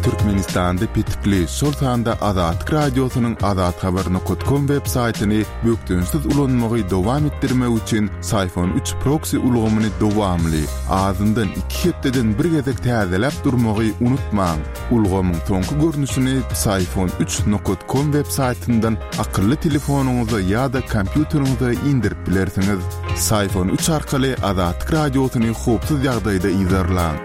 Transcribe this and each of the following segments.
Türkmenistanda petikli, şol sanda Azatlyk Radiosynyň azathabar.com web saýtyny bökdençsiz ulanmagy dowam etdirmek üçin Syfon 3 proksi ulgamyny dowamly, azyndan iki hepdeden bir gezek täzeläp durmagy unutmaň. Ulgamyň soňky görnüşini Psiphon 3 nokat com web saýtyndan akylly telefonyňyza ýa-da kompýuteriňize indirip bilersiňiz. Psiphon 3 arkaly Azatlyk Radiosyny howpsuz ýagdaýda yzarlaň.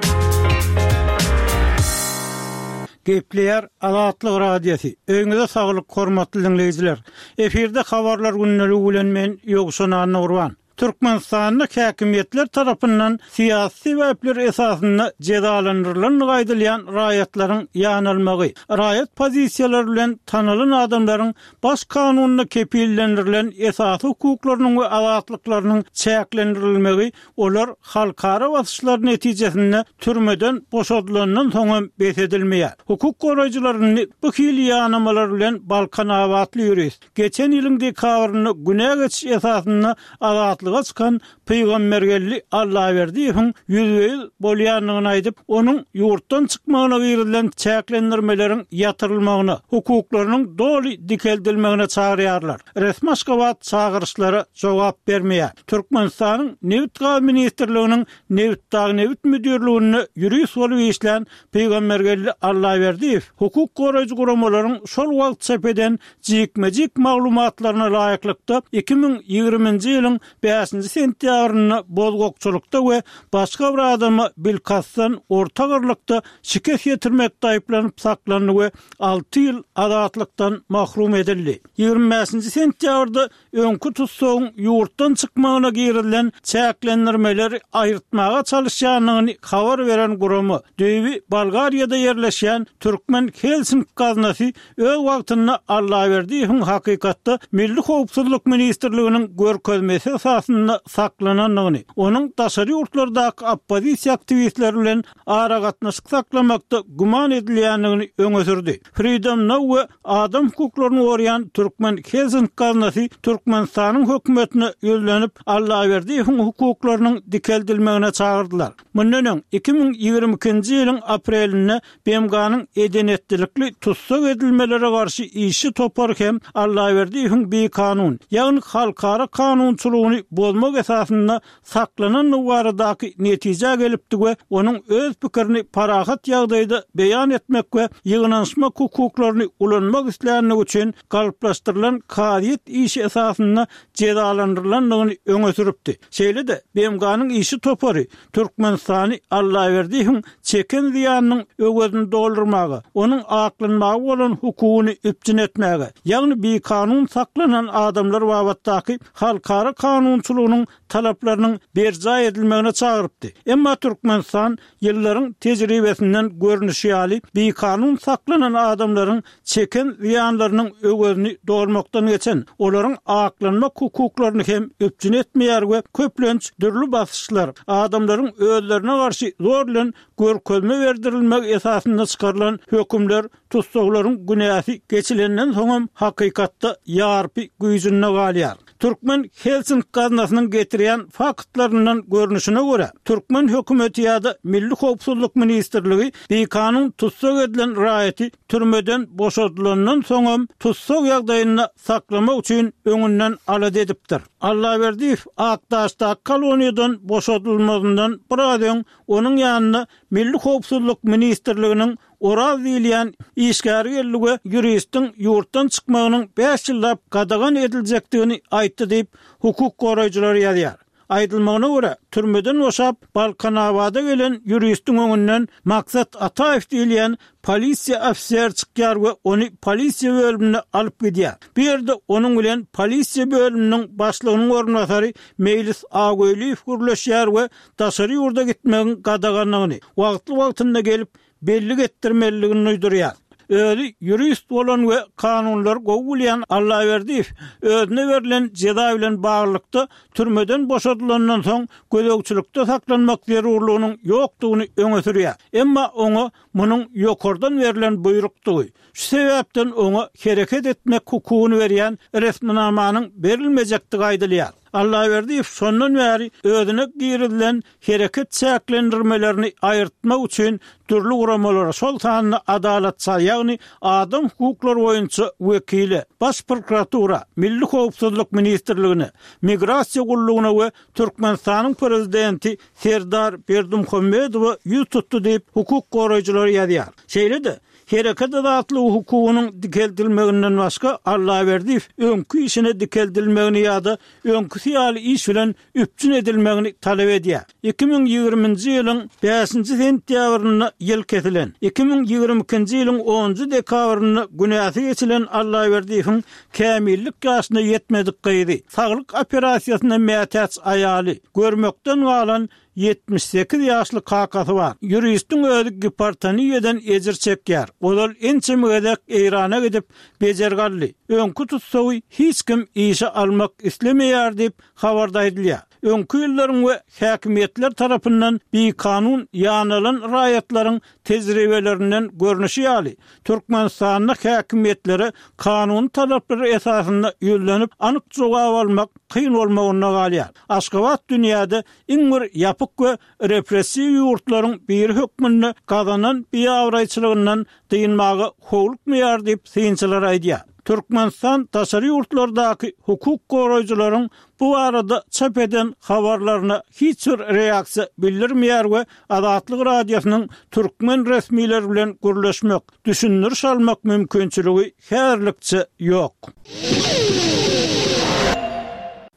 Gepleýär Azatlyk Radiosy. Öýüňize saglyk hormatly diňleýjiler. Efirde habarlar gündeligi bilen men Ýowşan Annagurban. Türkmenistanda häkimiýetler tarapyndan syýasy sebäpler esasynda jezalandyrylandygy aýdylýan raýatlaryň ýanalmagy, raýat pozisiýalary bilen tanalan adamlaryň Baş kanunda kepillendirilen esasy hukuklarynyň we azatlyklarynyň çäklendirilmegi olar halkara basyşlary netijesinde türmeden boşadylandan soň hem bes edilmeýär. Hukuk goraýjylar indi bu hili ýanamalar bilen balkanabatly ýurist, Geçen ýylyň dekabrynda günä geçiş esasynda azatlyga çykan Pygambergeldi Allaberdiýewiň ýüzbe-ýüz bolýandygyny aýdyp, onuň ýurtdan çykmagyna girizilen çäklendirmeleriň ýatyrylmagyna, hukuklarynyň doly dikeldilmegine çagyrýarlar. Resmi Aşgabat çagyryşlara jogap bermeýär. Türkmenistanyň Nebit-gaz ministrliginiň Nebitdagnebit müdirliginde ýurist bolup işlän Pygambergeldi Allaberdiýew hukuk goraýjy guramalaryň şol wagt çap eden jikme-jik maglumatlaryna laýyklykda, 2020-nji ýylyň bäşinji sentýabrynda bozgakçylykda we başga bir adama bilkastdan orta agyrlykda şikes ýetirmekde aýyplanyp saklandy we alty ýyl azatlykdan mahrum edildi. 25-nji sentýabrda öňki tussagyň ýurtdan çykmagyna girizilen çäklendirmeleri aýyrtmaga çalyşýandygyny habar beren gurama, düýbi Bolgariýada ýerleşýän Türkmen Helsink gaznasy öz wagtynda Allaberdiýewiň hakykatda Milli howpsuzlyk ministrliginiň görkezmesi esasynda saklanandygyny, onuň daşary ýurtlardaky oppozisiýa aktiwistleri bilen aragatnaşyk saklamakda güman edilýändigini öňe sürdi. Freedom Now we adam hukuklaryny goraýan Türkmen Helsink gaznasy Türkmenistanyň hökümetine ýüzlenip, Allaberdiýewiň hukuklarynyň dikeldilmegine çagyrdylar. Mundan öň, 2022-nji ýylyň aprelinde BMG-niň eden-etdilikli tussag edilmelere garşy işçi topary hem Allaberdiýewiň bikanun, ýagny halkara kanunçylygyny bozmak esasynda saklanandygy baradaky netijä gelipdi we onuň öz pikirini parahat ýagdaýda beýan etmek we ýygnanyşmak hukuklaryny ulanmak isländigi üçin galplaşdyrylan kazyýet işi esasynda jezalandyrylandygyny öňe sürüpdi. Şeýle-de, BMG-niň işçi topary Türkmenistany Allaberdiýewiň çeken zyýanynyň öwezini doldurmaga, onuň aklanmaga bolan hukugyny üpjün etmäge, ýagny bikanun saklanan adamlar babatdaky halkara kanunçylygynyň talaplarynyň berjaý edilmegine çagyrypdy. Emma Türkmenistan ýyllaryň tejribesinden görnüşi ýaly, bikanun saklanan adamlaryň çeken zyýanlarynyň öwezini dolmakdan geçen, olaryň aklanmak hukuklaryny hem üpjün etmeýär we köplenç dürli basyşlar, adamlaryň özlerine garşy zor bilen görkezme berdirilmegi esasynda çykarylan hökümler tussaglaryň günäsi geçilenden soňam hakykatda ýarpy güýjünde galýar. Türkmen Helsink gaznasynyň getirýän faktlaryndan görnüşine görä, türkmen hökümeti ýa-da Milli howpsuzlyk ministrligi bikanun tussag edilen raýaty türmeden boşadylandan soňam tussag ýagdaýynda saklamak üçin öňünden alada edipdir. Allaberdiýew Akdaşdaky koloniýadan boşadylmazyndan biraz öň onuň ýanyna Milli howpsuzlyk ministrliginiň Oraz diýilýän işgäri geldi we ýuristiň ýurtdan çykmagynyň bäş ýyllap gadagan ediljekdigini aýtdy diýip, hukuk goraýjylar ýazýar. Aýdylmagyna görä, türmeden boşap, Balkanabada gelen ýuristiň öňünden Maksat Ataýew diýilýän polisiýa ofiseri çykýar we ony polisiýa bölümine alyp gidýär. Bu ýerde onuň bilen polisiýa bölüminiň başlygynyň orunbasary Meýlis Agöýliýew gürleşýär we daşary ýurda gitmegiň gadaganlygyny, wagtly-wagtynda gelip, bellik etdirmelidigini duýdurýar. Özi ýurist bolan we kanunlary gowy bilýän Allaberdiýew özüne berlen jeza bilen baglylykda türmeden boşadylandan soň gözegçilikde saklanmak zerurlygynyň ýokdugyny öňe sürýär. Emma oňa munuň ýokardan berlen buýrukdygy, şu sebäpden oňa hereket etmek hukugyny berýän resminamanyň berilmejekdigi aýdylýar. Allaberdiýew şondan bäri özüne girizilen hereket çäklendirmelerini aýyrtmak üçin dürli guramalara, şol sanda Adalatça, ýagny adam hukuklary boýunça wekile, Baş prokuratura, Milli howpsuzlyk ministrligine, Migrasiýa gullugyna we Türkmenistanyň prezidenti Serdar Berdimuhamedowa ýüz tutdy diýip, hukuk goraýjylar ýazýar. Şeýle-de, hereket azatlygy hukugynyň dikeldilmeginden başga Allaberdiýew öňki işine dikeldilmegini ýa-da öňküsi ýaly iş bilen üpjün edilmegini talap edýär. 2020-nji ýylyň bäşinji sentýabrynda ýyl kesilen, 2022-nji ýylyň onunjy dekabrynda günäsi geçilen Allaberdiýewiň kämillik ýaşyna ýetmedik gyzy, saglyk operasiýasyna mätäç aýaly, görmekden galan 78 ýaşly kakasy bar. Ýuristiň özi gipertoniýadan ejir çekýär. Ozal ençeme gezek Eýrana gidip, bejergi aldy. Öňki tussagy hiç kim işe almak islemeýär diýip, habarda aýdylýar. Öňki ýyllaryň we häkimiýetler tarapyndan bikanun ýanalan raýatlaryň tejribelerinden görnüşi ýaly, Türkmenistanda häkimiýetlere kanuny talaplar esasynda ýüzlenip, anyk jogap almak kyn bolmagynda galýar. Aşgabat dünýäde iň bir ýapyk we repressiw ýurtlaryň biri hökmünde gazanan biabraýçylygyndan dynmaga howlukmaýar diýip, synçylar aýdýar. Türkmenistan daşary ýurtlardaky hukuk goraýjylaryň bu barada çap eden habarlaryna hiç bir reaksiýa bildirmeýär we Azatlyk Radiosynyň türkmen resmileri bilen gürleşmek, düşündiriş almak mümkinçiligi häzirlikçe ýok.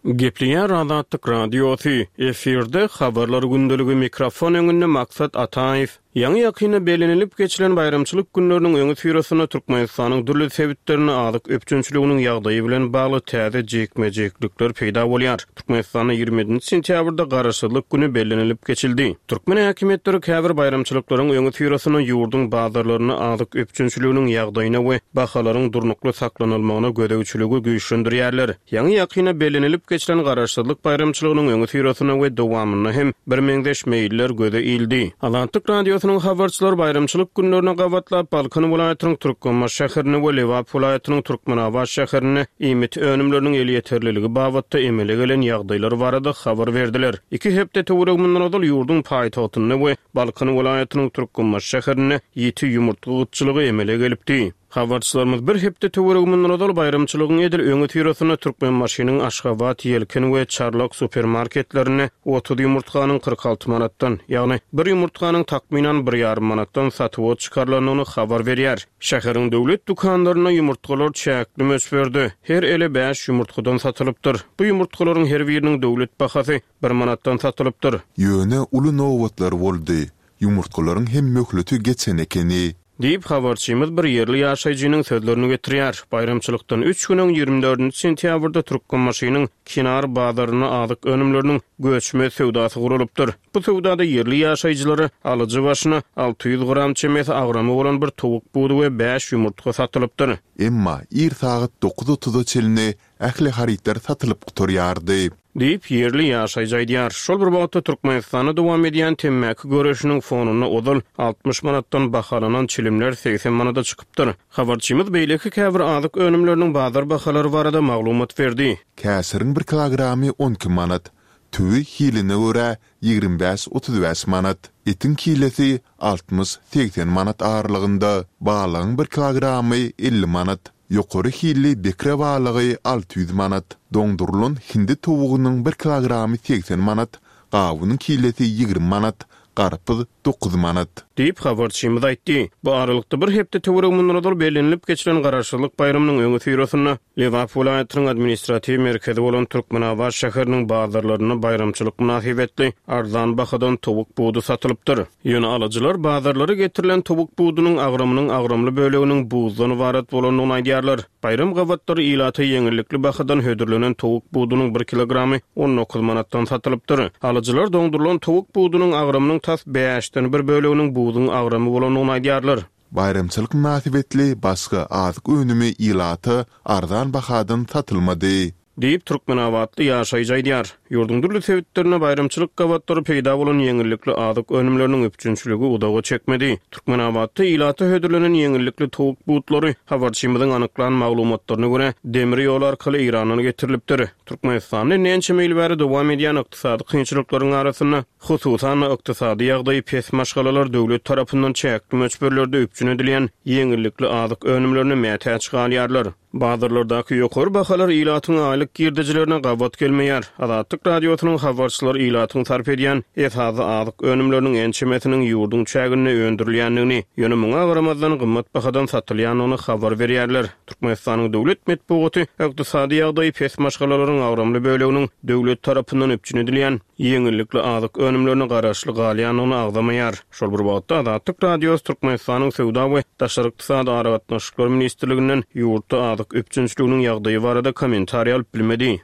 Gepleýär Azatlyk Radiosy, efirde Habarlar gündeligi mikrofon öňünde Maksat Ataýew. Ýaňy-ýakynda bellenilip geçilen baýramçylyk günleriniň öňüsyrasynda Türkmenistanyň dürli sebitlerinde azyk üpjünçiliginiň ýagdaýy bilen bagly täze jikme-jiklikler peýda bolýar. Türkmenistanda 27 nji sentýabrda Garaşsyzlyk güni bellenilip geçildi. Türkmen häkimiýetleri käbir baýramçylyklaryň öňüsyrasynda ýurduň bazarlarynda azyk üpjünçiliginiň ýagdaýyna we bahalaryň durnukly saklanylmagyna gözegçiligi güýçlendirýärler. Ýaňy-ýakynda bellenilip geçilen Garaşsyzlyk baýramçylygynyň öňüsyrasynda we dowamynda hem birmeňzeş meýiller göze ildi. Azatlyk Radiosynyň habarçylary baýramçylyk günlerine gabatlap Balkan welaýatynyň Türkmenbaşy şäherinde we Lebap welaýatynyň Türkmenabat şäherinde iýmit önümleriniň elýeterliligi babatda emele gelen ýagdaýlar barada habar berdiler. Iki hepde töweregi mundan ozal ýurduň paýtagtynda we Balkan welaýatynyň Türkmenbaşy şäherinde ýiti ýumurtga gytçylygy emele gelipdi. Habarçylarymyz bir hepde töweregi mundan ozal baýramçylygyň edil öňüsyrasynda Türkmenbaşynyň Aşgabat, Ýelken we Çarlak supermarketlerinde 30 ýumurtganyň 46 manatdan, ýagny bir ýumurtganyň takmynan bir ýarym manatdan satuwa çykarylandygyny habar berýär. Şäheriň döwlet dükanlarynda ýumurtgalar çäkli möçberde, her ele bäş ýumurtgadan satylypdyr. Bu ýumurtgalaryň her biriniň döwlet bahasy bir manatdan satylypdyr. Ýöne uly nobatlar boldy. Ýumurtgalaryň hem möhleti geçen ekeni. Diýip, habarçymyz bir ýerli ýaşaýjynyň sözlerini getirýär. Baýramçylykdan üç gün öň, 24 nji sentýabrda Türkmenbaşynyň Kenar bazarynda azyk önümleriniň göçme söwdasy guralypdyr. Bu söwdada ýerli ýaşaýjylara alyjy başyna 600 gram çemesi agramy bolan bir towuk budy we bäş ýumurtga satylypdyr. Emma ir sagat dokuz otuza çenli Ähli harytlar satylyp gutarýardy. Diýip, ýerli ýaşaýjy aýdýar. Şol bir wagtda, Türkmenistanda dowam edýän temmäki göreşiniň fonunda ozal 60 manatdan bahalanan çilimler 80 manada çykypdyr. Habarçymyz beýleki käbir azyk önümleriniň bazar bahalary barada maglumat berdi. Käşiriň bir kilogramy 12 manat, tüwi hiline görä 25, 35 manat, etiň kilesi 60, 80 manat aralygynda, balygyň bir kilogramy 50 manat. Ýokary hilli bekre balygy 600 manat, doňdurylan hindi towugynyň bir kilogramy 80 manat, gawunyň kilesi 20 manat, garpyz 9 manat. Diýip, habarçymyz aýtdy. Bu aralykda, bir hepde töweregi mundan ozal bellenilip geçilen Garaşsyzlyk baýramynyň öňüsyrasynda Lebap welaýatynyň administratiw merkezi bolan Türkmenabat şäheriniň bazarlarynda baýramçylyk mynasybetli arzan bahadan towuk budy satylypdyr. Ýöne alyjylar bazarlara getirilen towuk budunyň agramynyň agramly böleginiň buzdan ybarat bolandygyny aýdýarlar. Baýram gabatlary ilata ýeňillikli bahadan hödürlenen towuk budunyň bir kilogramy 19 manatdan satylypdyr. Alyjylar doňdurylan towuk budunyň agramynyň tas bäşden bir böleginiň buzuň agramy bolandygyny aýdýarlar. Baýramçylyk mynasybetli başga azyk önümi ilata arzan bahadan satylmady. Diýip, türkmenabatly ýaşaýjy aýdýar. Ýurduň dürli sebitlerinde baýramçylyk gabatlary peýda bolan ýeňillikli azyk önümleriniň üpjünçiligi uzaga çekmedi. Türkmenabatda ilata hödürlenen ýeňillikli towuk butlary, habarçymyzyň anyklan maglumatlaryna görä, demir ýol arkaly Eýrandan getirilipdir. Türkmenistanda indi ençeme ýyl bäri dowam edýän ykdysady kynçylyklaryň arasynda, hususan-da, ykdysady ýagdaýy pes maşgalalar döwlet tarapyndan çäkli möçberlerde üpjün edilýän ýeňillikli azyk önümlerine mätäç galýarlar. Bazarlardaky ýokary bahalar ilatyň aýlyk girdejilerine gabat gelmeýär. Azatlyk Radiosynyň habarçylary ilatyň sarp edýän esasy azyk önümleriniň ençemesiniň ýurduň çäginde öndürilýändigini, ýöne muňa garamazdan gymmat bahadan satylýandygyny habar berýärler. Türkmenistanyň döwlet metbugaty ykdysady ýagdaýy pes maşgalalaryň agramly böleginiň döwlet tarapyndan üpjün edilýän ýeňillikli azyk önümlerine garaşly galýandygyny agzamaýar. Şol bir wagtda, Azatlyk Radiosy Türkmenistanyň Söwda we daşary ykdysady aragatnaşyklar ministrliginden ýurtda azyk üpjünçiliginiň ýagdaýy barada kommentariý alyp bilmedi.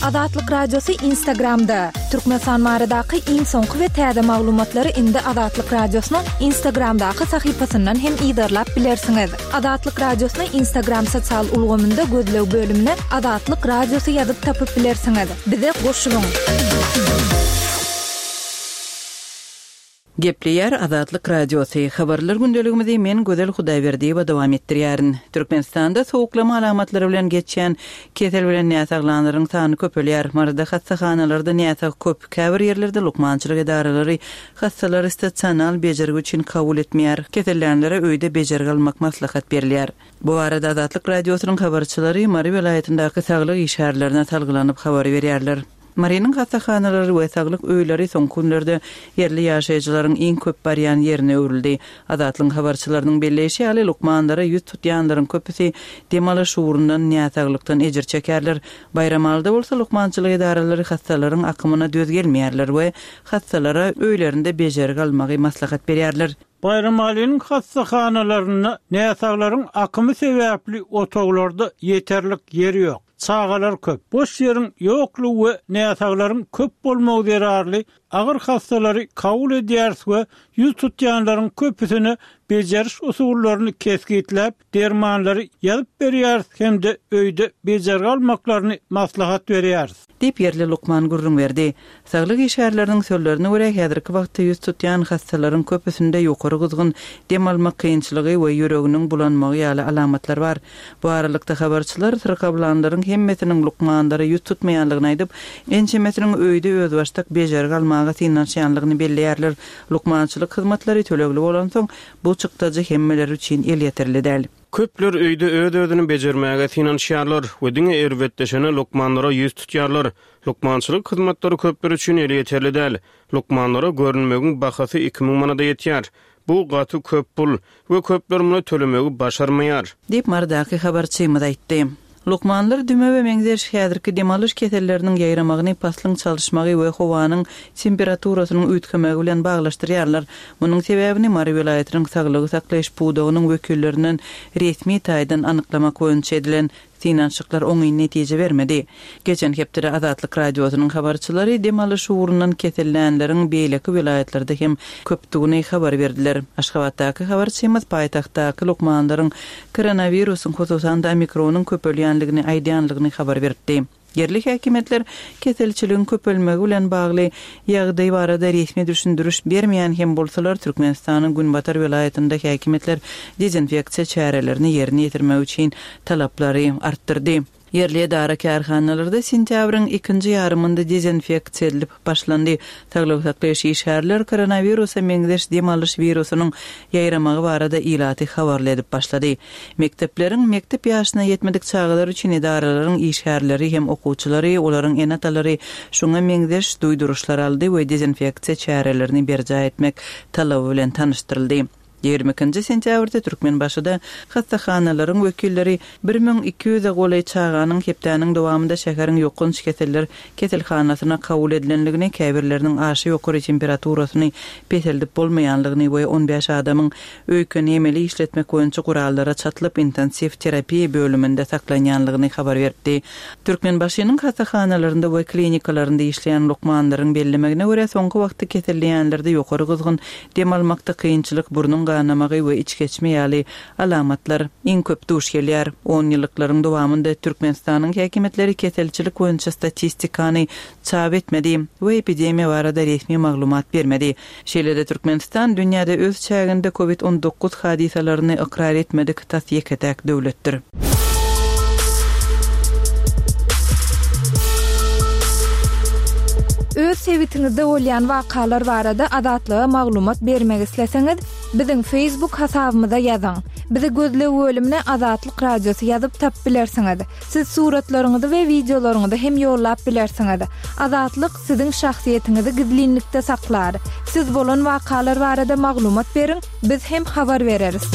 Azatlyk Radiosy Instagramda, Türkmenistan baradaky iň soňky we täze maglumatlary indi Azatlyk Radiosynyň Instagramdaky sahypasyndan hem yzarlap bilersiňiz. Azatlyk Radiosyny Instagram sosial ulgamynda gözleg bölümine Azatlyk Radiosy ýazyp tapyp bilersiňiz. Bize goşulyň! Gepleýär Azatlyk Radiosy, Habarlar gündeligimizi men Gözel Hudaýberdiýewa dowam etdirýärin. Türkmenistanda sowuklama alamatlary bilen geçýän kesel bilen näsaglanlaryň sany köpelýär. Maryda hassahanalarda näsag köp, käbir ýerlerde lukmançylyk edaralary hassalary stasional bejergi üçin kabul etmeýär, kesellänlere öýde bejergi almak maslahat berilýär. Bu barada Azatlyk Radiosynyň habarçylary Mary welaýatyndaky saglyk işgärlerine salgylanyp habar berýärler. Marynyň hassahanalary we saglyk öýleri soňky günlerde ýerli ýaşaýjylaryň iň köp barýan ýerine öwrüldi. Azatlygyň habarçylarynyň belleýşi ýaly, lukmanlara ýüz tutýanlaryň köpüsi dem alyş ugrundan näsaglykdan ejir çekýärler. Baýramalyda bolsa lukmançylyk edaralary hassalaryň akymyna döz gelmeýärler we hassalara öýlerinde bejergi almagy maslahat berýärler. Baýramalynyň hassahanalarynda näsaglaryň akymy sebäpli otaglarda ýeterlik ýer ýok. Çagalar köp. Boş ýeriň ýoklugy we näsaglaryň köp bolmagy zerarly agyr hassalary kabul edýäris we ýüz tutýanlaryň köpüsine bejeriş usullaryny kesgitläp, dermanlary ýazyp berýäris hem-de öýde bejergi almaklaryny maslahat berýäris. Diýip, ýerli lukman gürrüň berdi. Saglyk işgärleriniň sözlerine görä, häzirki wagtda ýüz tutýan hassalaryň köpüsinde ýokary gyzgyn, dem almak kynçylygy we ýüreginiň bulanmagy ýaly alamatlar bar. Bu aralykda, habarçylar syrkawlanlaryň hemmesiniň lukmanlara ýüz tutmaýanlygyny aýdyp, ençemesiniň öýde özbaşdak bejergi almaga synanyşýanlygyny belleýärler. Lukmançylyk hyzmatlary tölegli bolansoň, bu çykdajy hemmeler üçin elýeterli däl. Köpler öýde öz-özüni bejermäge synanyşýarlar we diňe erbetleşene lukmanlara ýüz tutýarlar. Lukmançylyk hyzmatlary köpler üçin elýeterli däl. Lukmanlara görünmegiň bahasy 2000 manada ýetýär. Bu gaty köp pul we köpler muny tölemegi başarmaýar. Diýip, Marydaky habarçymyz aýtdy. Lukmanlar dümewe meňzeş häzirki dem alyş keselleriniň ýaýramagyny paslyň çalyşmagy we howanyň temperaturasynyň üýtgemegi bilen baglaşdyrýarlar. Munuň sebäbini Mary welaýatynyň saglygy saklaýyş pudagynyň wekillerinden resmi taýdan anyklamak boýunça edilen synanyşyklar oňyn netije bermedi. Geçen hepdede Azatlyk Radiosynyň habarçylary dem alyş ugrundan kesellänleriň beýleki welaýatlarda hem köpdügini habar berdiler. Aşgabatdaky habarçymyz paýtagtdaky lukmanlaryň koronawirusyň, hususan-da omikronyň köpelýändigini aýdýanlygyny habar beripdi. Ýerli häkimiýetler keselçiligiň köpelmegi bilen bagly ýagdaý barada resmi düşündiriş bermeýän hem bolsalar, Türkmenistanyň günbatar welaýatynda häkimiýetler dezinfeksiýa çärelerini ýerine ýetirmek üçin talaplary artdyrdy. Ýerli edara-kärhanalarda sentýabryň ikinji ýarymynda dezinfeksiýa edilip başlandy. Saglygy saklaýyş işgärler koronawirusa meňzeş dem alyş wirusynyň ýaýramagy barada ilaty habarly edip başlady. Mekdepleriň, mekdep ýaşyna ýetmedik çagalar üçin edaralaryň işgärleri hem okuwçylary, olaryň ene-atalary şuňa meňzeş duýduryşlar aldy we dezinfeksiýa çärelerini berjaý etmek talaby bilen tanyşdyryldy. 22-nji sentýabrda Türkmenbaşyda hassahanalaryň wekilleri 1200-e golaý çaganyň hepdäniň dowamynda şäheriň ýokanç keseller keselhanasyna kabul edilendigini, käbirleriniň aşa ýokary temperaturasyny peseldip bolmaýanlygyny we on bäş adamyň öýkeni emeli işletmek boýunça gurallara çatylyp, intensiw terapiýa bölüminde saklanýanlygyny habar beripdi. Türkmenbaşynyň hassahanalarynda we klinikalarynda işleýän lukmanlaryň bellemegine görä, soňky wagtda keselleýänlerde ýokary gyzgyn, Dem almakda kynçylyk, burnuň. ganamagy we içgeçme ýaly alamatlar iň köp duş gelýär. Onýyllyklaryň dowamynda Türkmenistanyň häkimiýetleri keselçilik boýunça statistikany çap etmedi we epidemiýa barada resmi maglumat bermedi. Şeýle-de Türkmenistan dünýäde öz çäginde Covid 19 hadysalaryny ykrar etmedik tas ýeke-täk döwletdir. Öz sebitiňizde bolýan wakalar barada Azatlyga maglumat bermek isleseňiz, biziň Facebook hasabymyza ýazyň. Bizi gözleg bölümine Azatlyk Radiosy ýazyp tapyp bilersiňiz. Siz suratlaryňyzy we wideolaryňyzy hem ýollap bilersiňiz. Azatlyk siziň şahsyýetiňizi gizlinlikde saklar. Siz bolan wakalar barada maglumat beriň, biz hem habar bereris.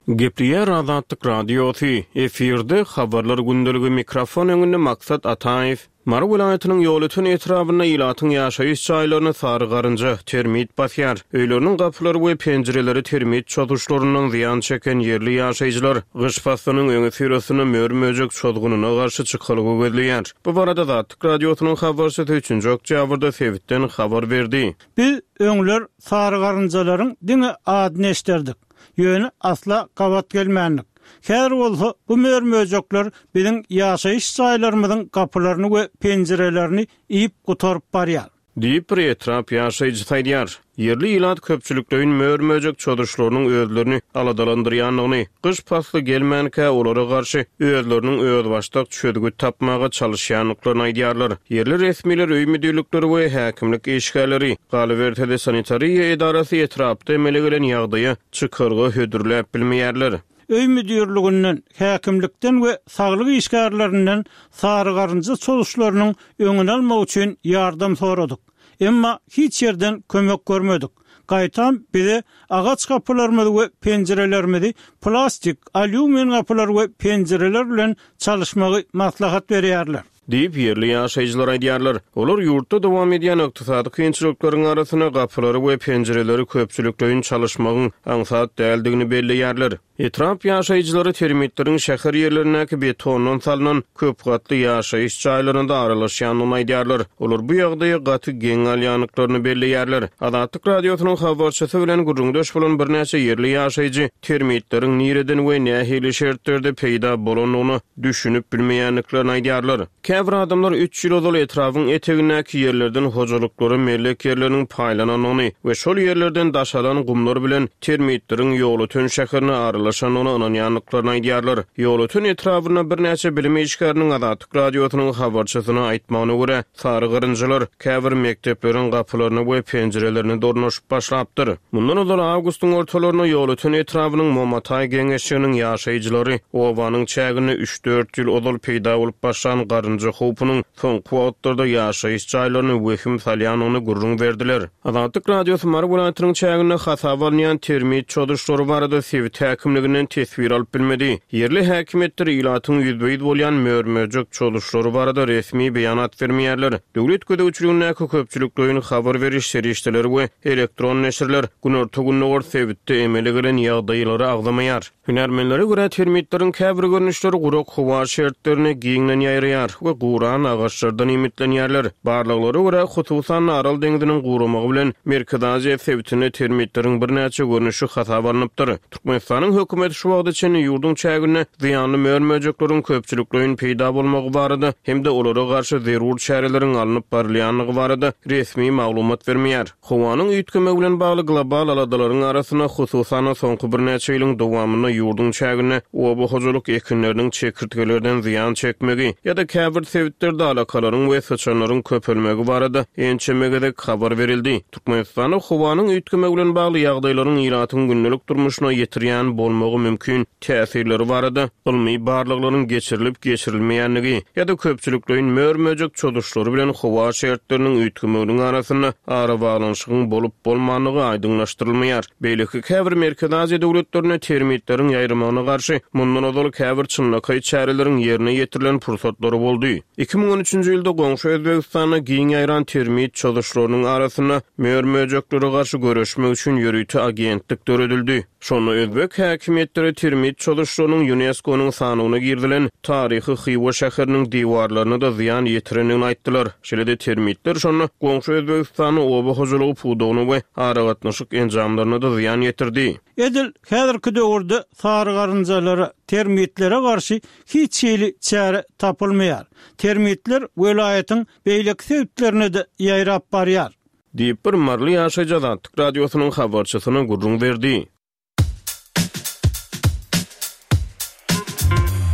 Gepleýär Azatlyk Radiosy, efirde Habarlar gündeligi mikrofon öňünde Maksat Ataýew. Mary welaýatynyň Ýolöten etrabynda ilatyň ýaşaýyş jaýlaryny sary garynja, termit basýar. Öýleriniň gapylary we penjireleri termit çozuşlaryndan zyýan çeken ýerli ýaşaýjylar gyş paslynyň öňüsyrasynda mör-möjek çozgunyna garşy çykalga gözleýär. Bu barada Azatlyk Radiosynyň habarçysy üçünji oktýabrda sebitden habar berdi. Biz öňler sary garynjalaryň diňe adyny eşderdik. Ýöne asla gabat gelmändik. Häzir bolsa bu mör-möjekler biziň ýaşaýyş jaýlarymyzyň gapylaryny we penjirelerini iýip gutaryp barýar. Diýip, bir etrap ýaşaýjysy aýdýar. Ýerli ilat köpçülikleýin mör-möjek çozuşlarynyň özlerini aladalandyrýandygyny, gyş pasly gelmänkä olara garşy özleriniň özbaşdak çözgüt tapmaga çalyşýandyklaryny aýdýarlar. Ýerli resmiler, öý müdirlikleri we häkimlik işgärleri, galyberse-de sanitariýa edarasy etrapda emele gelen ýagdaýa çykalga hödürläp bilmeýärler. Öý müdirliginden, häkimlikden we saglyk işgärlerinden sarygarynja çozuşlarynyň öňüni almak üçin ýardam soradyk. Emma hiç ýerden kömek görmedik. Gaýtam bize agaç gapylarymyzy we penjirelerimizi plastik, alýumin gapylar we penjireler bilen çalyşmagy maslahat berýärler. Diýip, ýerli ýaşaýjylar aýdýarlar. Olar ýurtda dowam edýän ykdysady kynçylyklaryň arasynda gapylary we penjireleri köpçülikleýin çalyşmagyň aňsat däldigini belleýärler. Etrap ýaşaýjylary termitleriň şäher ýerlerindäki betondan salnan köp gatly ýaşaýyş jaýlaryna-da aralaşýandygyny aýdýarlar. Olar bu ýagdaýa gaty geň galýandyklaryny belleýärler. Azatlyk Radiosynyň habarçysy bilen gürrüňdeş bolan birnäçe ýerli ýaşaýjy termitleriň nireden we nähili şertlerde peýda bolandygyna düşünip bilmeýändiklerini aýdýarlar. Käbir adamlar üç ýyl ozal etrabyň etegindäki ýerlerden hojalyklara mellek ýerleriniň paýlanandygyny we şol ýerlerden daşalan gumlar bilen termitleriň Ýolöten şäherine aralaşandygyna ynanýandyklaryny aýdýarlar. Ýolöten etrabynda birnäçe bilim işgäriniň Azatlyk Radiosynyň habarçysyna aýtmagyna görä, Sary garynjalar käbir mekdepleriň gapylaryna we penjirelerine dornaşyp başlapdyr. Mundan ozal awgustyň ortalarynda Ýolöten etrabynyň Momataý geňeşliginiň ýaşaýjylary obanyň çäginde üç-dört ýyl ozal peýda bolup başlan garynja howpunyň soňky wagtlarda ýaşaýyş jaýlaryna wehim salýandygyny gürrüň berdiler. Azatlyk Radiosy Mary welaýatynyň çäginde hasaba alynýan termit çozuşlary barada sebit häkimliginden teswir alyp bilmedi. Ýerli häkimiýetler ilatyň ýüzbe-ýüz bolýan mör-möjek çozuşlary barada resmi beýanat bermeýärler. Döwlet gözegçiligindäki köpçülikleýin habar beriş serişdeleri we elektron neşirler günorta-gündogar sebitde emele gelen ýagdaýlary agzamaýar. Hünärmenlere görä, termitleriň käbir görnüşleri gurak howa şertlerinde giňden ýaýraýar we guran agaçlardan iýmitlenýärler. Barlaglara görä, hususan-da, Aral deňziniň guramagy bilen Merkezi Aziýa sebitinde termitleriň birnäçe görnüşi hasaba alnypdyr. Türkmenistanyň hökümeti şu wagta çenli ýurduň çäginde zyýanly mör-möjekleriň köpçülikleýin peýda bolmagy barada hem-de olara garşy zerur çäreleriň alnyp barylýandygy barada resmi maglumat bermeýär. Howanyň üýtgemegi bilen bagly global aladalaryň arasynda, hususan-da, soňky birnäçe ýylyň dowamynda ýurduň çäginde oba hojalyk ekinleriniň çekirtgelerden zyýan çekmegi ýa-da käbir sebitlerde alakalaryň we syçanlaryň köpelmegi barada ençeme gezek habar berildi. Türkmenistanda howanyň üýtgemegi bilen bagly ýagdaýlaryň ilatyň gündelik durmuşyna ýetirýän bolmagy mümkin täsirleri barada ylmy barlaglaryň geçirilip-geçirilmeýändigi ýa-da köpçülikleýin mör-möjek çozuşlary bilen howa şertleriniň üýtgemeginiň arasynda arabaglanyşygyň bolup-bolmandygy aýdyňlaşdyrylmaýar. Beýleki käbir Merkezi Aziýa döwletlerinde termitleriň ýaýramagyna garşy mundan ozal käbir çynlakaý çäreleriň ýerine ýetirilen pursatlary boldy. 2013-nji ýylda goňşy Özbegistanda giň ýaýran termit çozuşlarynyň arasynda mör-möjeklere garşy göreşmek üçin ýörite agentlik döredildi. Şonda özbek häkimiýetleri termit çozuşlarynyň Ýunesko-nyň sanawyna girizilen taryhy Hywa şäheriniň diwarlaryna-da zyýan ýetirendigini aýtdylar. Şeýle-de termitler şonda goňşy Özbegistanda oba hojalygy pudagyna we aragatnaşyk enjamlaryna-da zyýan ýetirdi. Edil häzirki döwürde sarygarynjalara, termitlere garşy hiç hili çäre tapylmaýar. Termitler welaýatyň beýleki sebitlerine-de ýaýrap barýar. Diýip, bir maryly ýaşaýjy Azatlyk Radiosynyň habarçysyna gürrüň berdi.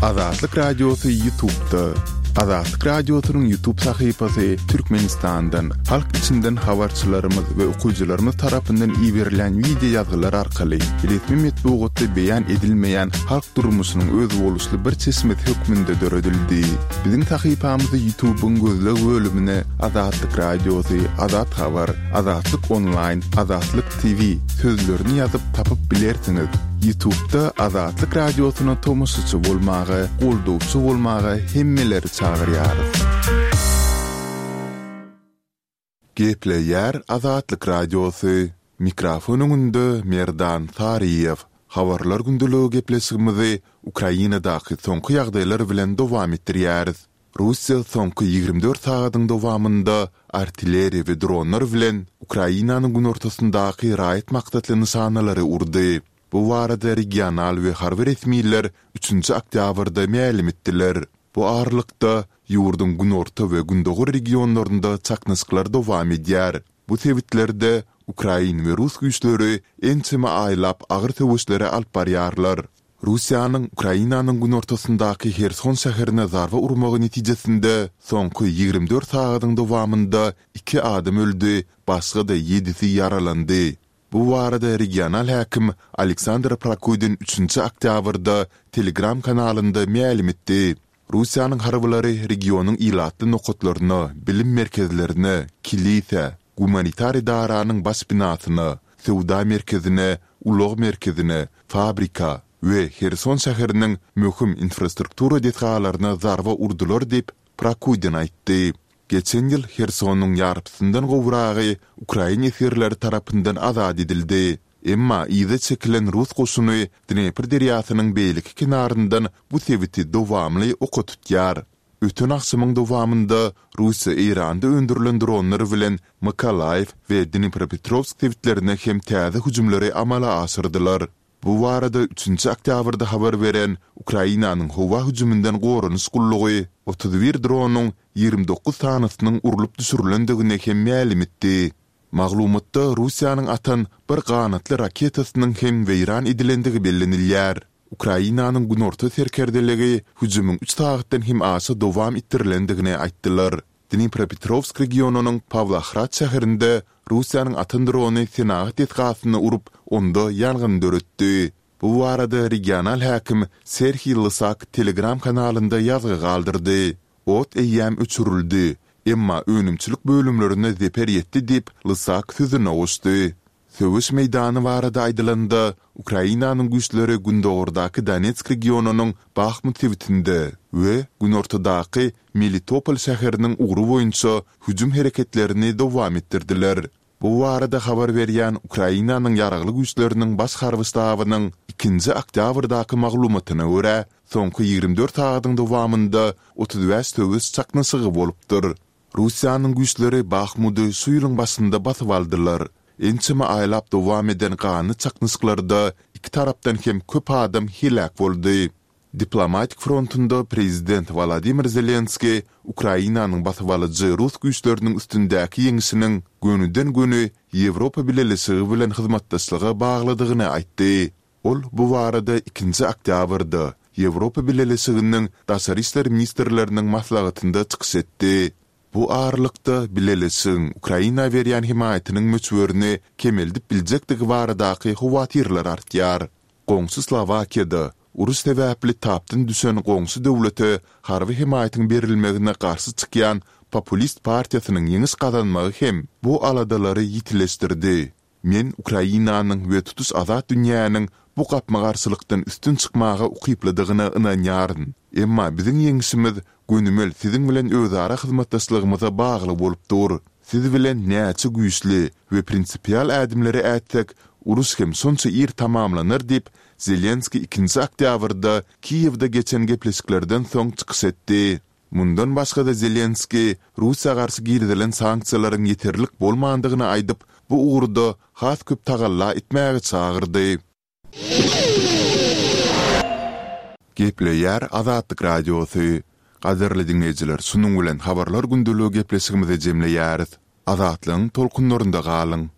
Azatlyk Radiosy Ýutubda. Azatlyk Radiosynyň Ýutub sahypasy Türkmenistandan, halk içinden habarçylarymyz we okyjylarymyz tarapyndan iberilen wideo ýazgylar arkaly resmi metbugatda beýan edilmeýän halk durmuşynyň özboluşly bir çeşmesi hökmünde döredildi. Biziň sahypamyzy Ýutubyň gözleg bölümine Azatlyk Radiosy, Azat Habar, Azatlyk Onlaýn, Azatlyk TV sözlerini ýazyp tapyp bilersiňiz. Ýutubda Azatlyk Radiosyna tomaşaçy bolmaga, goldawçy bolmaga hemmeleri çagyrýarys. Gepleýär Azatlyk Radiosy, Mikrofon öňünde Merdan Saryýew. Habarlar gündeligi gepleşigimizi Ukrainadaky soňky ýagdaýlar bilen dowam etdirýäris. Russiýa soňky 24 sagadyň dowamynda artilleriýa we dronlar bilen Ukrainanyň günortasyndaky raýat maksatly nyşanalary urdy. Bu barada regional we harby resmiler üçünji oktýabrda mälim etdiler. Bu aralykda, ýurduň günorta we gündogar regionlarynda çaknyşyklar dowam edýär. Bu sebitlerde ukrain we rus güýçleri ençeme aýlap agyr söweşleri alyp barýarlar. Russiýanyň Ukrainanyň günortasyndaky Herson şäherine zarba urmagy netijesinde soňky 24 sagadyň dowamynda iki adam öldi, başga-da ýedisi ýaralandy. Bu barada regional häkim Aleksandr Prokudin üçünji oktýabrda Telegram kanalynda mälim etdi. Russiýanyň harbylary regionyň ilatly nokatlaryna, bilim merkezlerine, kilisä, gumanitar edaranyň baş binasyna, söwda merkezine, ulag merkezine, fabrika we Herson şäheriniň möhüm infrastruktura desgalaryna zarba urdular diýip, Prokudin aýtdy. Geçen ýyl Hersonyň ýarpysyndan gowragy ukrain esgerleri tarapyndan azat edildi. Emma yza çekilen rus goşuny Dnepr derýasynyň beýleki kenaryndan bu sebiti dowamly oka tutýar. Öten agşamyň dowamynda Russiýa Eýranda öndürilen dronlar bilen Mykolaýiw we Dnipropetrowsk sebitlerine hem täze hüjümleri amala aşyrdylar. Bu barada üçünji oktýabrda habar beren Ukrainanyň howa hüjüminden goranyş gullugy 31 dronyň 29 sanysynyň urlup düşürilendigini hem mälim etdi. Maglumatda Russiýanyň atan bir ganatly raketasynyň hem weýran edilendigi bellenilýär. Ukrainanyň günorta serkerdeligi hüjümiň üç sagatdan hem aşa dowam etdirilendigini aýtdylar. Dnipropetrowsk regionynyň Pawlohrad şäherinde Russiýanyň atan drony senagat desgasyna urup, onda ýangyn döretdi. Bu barada regional häkim Serhiý Lysak Telegram kanalynda ýazgy galdyrdy. Ot eýýäm öçürildi, emma önümçilik bölümlerine zeper ýetdi diýip, Lysak sözüne goşdy. Söweş meýdany barada aýdylanda, Ukrainanyň güýçleri gündogardaky Donetsk regionynyň Bahmut sebitinde we günortadaky Melitopol şäheriniň ugry boýunça hüjüm hereketlerini dowam etdirdiler. Bu barada habar berýän Ukrainanyň Ýaragly Güýçleriniň Baş harby ştabynyň ikinji oktýabrdaky maglumatyna görä, soňky 24 sagadyň dowamynda 35 söweş çaknyşygy bolupdyr. Russiýanyň güýçleri Bahmudy şu ýylyň başynda basyp aldylar. Ençeme aýlap dowam eden ganly çaknyşyklarda iki tarapdan hem köp adam heläk boldy. Diplomatik frontunda prezident Wolodymyr Zelenskiý Ukrainanyň basybalyjy rus güýçleriniň üstündäki ýeňşiniň gönüden-göni Ýewropa Bileleşigi bilen hyzmatdaşlyga baglydygyny aýtdy. Ol bu barada ikinji oktýabrda Ýewropa Bileleşiginiň daşary işler ministrleriniň maslahatynda çykyş etdi. Bu aralykda, Bileleşigiň Ukraina berýän hemaýatynyň möçberini kemeldip biljekdigi baradaky howatyrlar artýar. Goňşy Slowakiýada, uruş sebäpli tapdan düşen goňşy döwlete harby hemaýatyň berilmegine garşy çykýan populist partiýasynyň ýeňiş gazanmagy hem bu aladalary ýitileşdirdi. Men Ukrainanyň we tutuş azat dünýäniň bu gapma-garşylykdan üstün çykmaga ukyplydygyna ynanýaryn. Emma biziň ýeňşimiz gönümel siziň bilen özara hyzmatdaşlygymyza bagly bolup dur. Siz bilen näçe güýçli we prinsipial ädimleri ätsek, uruş hem şonça ir tamamlanar diýip, Zelenskiý ikinji oktýabrda Kiýewde geçen gepleşiklerden soň çykyş etdi. Mundan başga-da Zelenskiý Russiýa garşy girizilen sanksiýalaryň ýeterlik bolmandygyny aýdyp, bu ugurda has köp tagalla etmäge çagyrdy. Gepleýär Azatlyk Radiosy. Gadyrly diňleýjiler, şunuň bilen Habarlar gündeligi gepleşigimizi jemleýäris. Azatlygyň tolkunlarynda galyň!